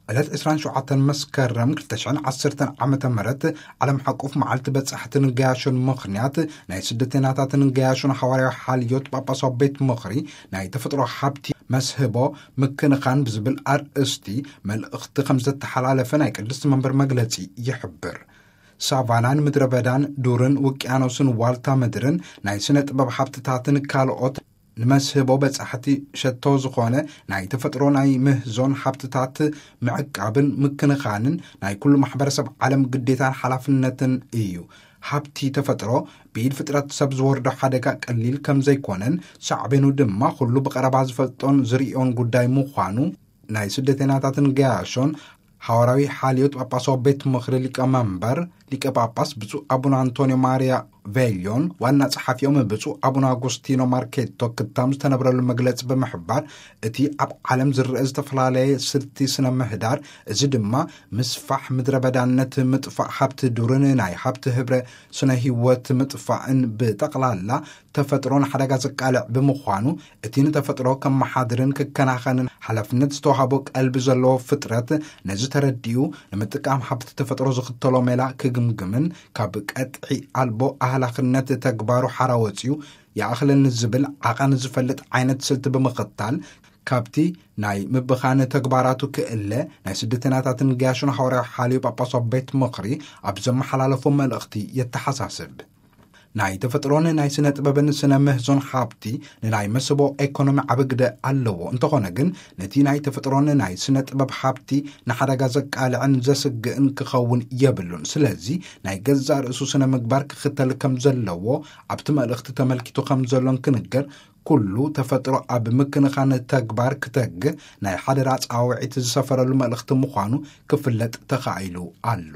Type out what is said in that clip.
ዕለት ዕስራን ሸውዓተን መስከረም ክልተ ሽሕን ዓሰርተን ዓመተ ምህረት ዓለም ሓቁፍ መዓልቲ በጻሕትን ገያሾን ምኽንያት፣ ናይ ስደተኛታትን ገያሾን ሓዋርያዊ ሓልዮት ጳጳሳዊ ቤት ምኽሪ ናይ ተፈጥሮ ሃብቲ መስህቦ ምክንኻን ብዝብል ኣርእስቲ መልእኽቲ ከም ዘተሓላለፈ ናይ ቅድስቲ መንበር መግለጺ ይሕብር። ሳቫናን ምድረ በዳን ዱርን ውቅያኖስን ዋልታ ምድርን ናይ ስነ ጥበብ ሃብትታትን ካልኦት ንመስህቦ በጻሕቲ ሸቶ ዝኾነ ናይ ተፈጥሮ ናይ ምህዞን ሃብትታት ምዕቃብን ምክንኻንን ናይ ኩሉ ማሕበረሰብ ዓለም ግዴታን ሓላፍነትን እዩ። ሃብቲ ተፈጥሮ ብኢድ ፍጥረት ሰብ ዝወርዶ ሓደጋ ቀሊል ከም ዘይኮነን፣ ሳዕቤኑ ድማ ኩሉ ብቐረባ ዝፈልጦን ዝርእዮን ጉዳይ ምዃኑ ናይ ስደተኛታትን ገያሾን ሓዋርያዊ ሓልዮት ጳጳሳዊ ቤት ምኽሪ ሊቀ መንበር ሊቀ ጳጳስ ብፁዕ ኣቡነ ኣንቶኒዮ ማርያ ቬልዮን ዋና ጸሓፊኦም ብፁዕ ኣቡነ ኣጉስቲኖ ማርኬቶ ክታም ዝተነብረሉ መግለጺ ብምሕባር፣ እቲ ኣብ ዓለም ዝረአ ዝተፈላለየ ስልቲ ስነ ምህዳር፣ እዚ ድማ ምስፋሕ ምድረ በዳነት፣ ምጥፋእ ሃብቲ ዱርን ናይ ሃብቲ ህብረ ስነ ህይወት ምጥፋእን ብጠቕላላ ተፈጥሮ ንሓደጋ ዘቃልዕ ብምዃኑ፣ እቲ ንተፈጥሮ ከመሓድርን ክከናኸንን ሓላፍነት ዝተዋህቦ ቀልቢ ዘለዎ ፍጥረት፣ ነዚ ተረዲኡ ንምጥቃም ሃብቲ ተፈጥሮ ዝኽተሎ ሜላ ክግምግምን ካብ ቀጥዒ ኣልቦ ኣህላኽነት ተግባሩ ሓራ ወፂኡ ይኣኽለኒ ዝብል ዓቐን ዝፈልጥ ዓይነት ስልቲ ብምኽታል፣ ካብቲ ናይ ምብኻን ተግባራቱ ክእለ ናይ ስደተኛታትን ገያሾን ሓዋርያዊ ሓልዮ ጳጳሳዊ ቤት ምኽሪ ኣብ ዘመሓላለፎ መልእኽቲ የተሓሳስብ። ናይ ተፈጥሮን ናይ ስነ ጥበብን ስነ ምህዞን ሃብቲ ንናይ መስህቦ ኤኮኖሚ ዓቢ ግደ ኣለዎ። እንተኾነ ግን፣ ነቲ ናይ ተፈጥሮን ናይ ስነ ጥበብ ሃብቲ ንሓደጋ ዘቃልዕን ዘስግእን ክኸውን የብሉን። ስለዚ፣ ናይ ገዛእ ርእሱ ስነ ምግባር ክኽተል ከም ዘለዎ ኣብቲ መልእኽቲ ተመልኪቱ ከም ዘሎን ክንገር፣ ኩሉ ተፈጥሮ ኣብ ምክንኻን ተግባር ክተግህ ናይ ሓደራ ጻውዒት ዝሰፈረሉ መልእኽቲ ምዃኑ ክፍለጥ ተኻኢሉ ኣሎ።